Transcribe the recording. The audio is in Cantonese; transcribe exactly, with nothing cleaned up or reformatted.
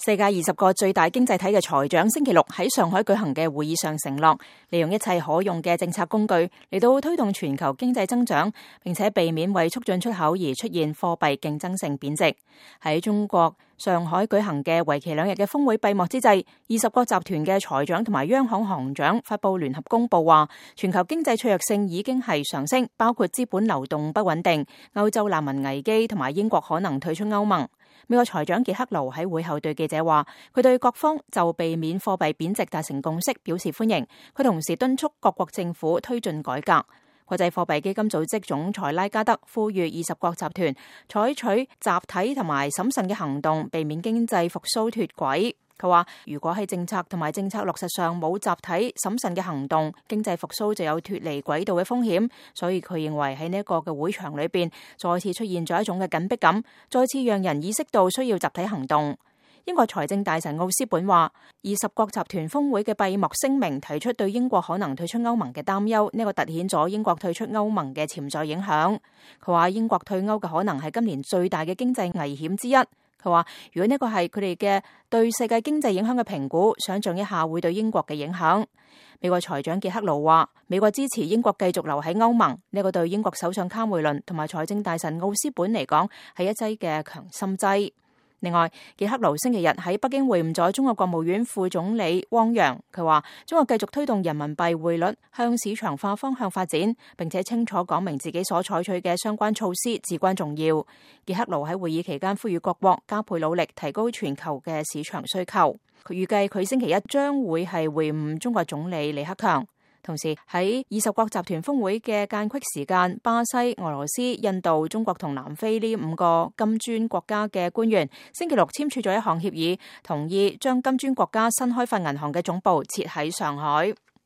世界二十個最大經濟體嘅財長星期六喺上海舉行嘅會議上承諾，利用一切可用嘅政策工具嚟到推動全球經濟增長，並且避免為促進出口而出現貨幣競爭性貶值。喺中國上海舉行嘅為期兩日嘅峰會閉幕之際，二十國集團嘅財長同埋央行行長發佈聯合公報話，全球經濟脆弱性已經係上升，包括資本流動不穩定、歐洲難民危機同埋英國可能退出歐盟。美國財長傑克盧喺會後對記者話，佢對各方就避免貨幣貶值達成共識表示歡迎。佢同時敦促各國政府推進改革。國際貨幣基金組織總裁拉加德呼籲二十國集團採取集體同埋審慎嘅行動，避免經濟復甦脫軌。佢話，如果喺政策同埋政策落實上冇集體審慎嘅行動，經濟復甦就有脫離軌道嘅風險。所以佢認為喺呢一個嘅會場裏邊，再次出現咗一種嘅緊迫感，再次讓人意識到需要集體行動。英國財政大臣奧斯本話，二十國集團峰會嘅閉幕聲明提出對英國可能退出歐盟嘅擔憂，呢個凸顯咗英國退出歐盟嘅潛在影響。佢話英國退歐嘅可能係今年最大嘅經濟危險之一。佢話如果呢個係佢哋嘅對世界經濟影響嘅評估，想象一下會對英國嘅影響。美國財長傑克盧話，美國支持英國繼續留喺歐盟，呢個對英國首相卡梅倫同埋財政大臣奧斯本嚟講係一劑嘅強心劑。另外，傑克盧星期日喺北京會晤咗中國國務院副總理汪洋，佢話中國繼續推動人民幣匯率向市場化方向發展，並且清楚講明自己所採取嘅相關措施至關重要。傑克盧喺會議期間呼籲各國加倍努力提高全球嘅市場需求。佢預計佢星期一將會係會晤中國總理李克強。同時喺二十國集團峰會嘅間隙時間，巴西、俄羅斯、印度、中國同南非呢五個金磚國家嘅官員星期六簽署咗一項協議，同意將金磚國家新開發銀行嘅總部設喺上海。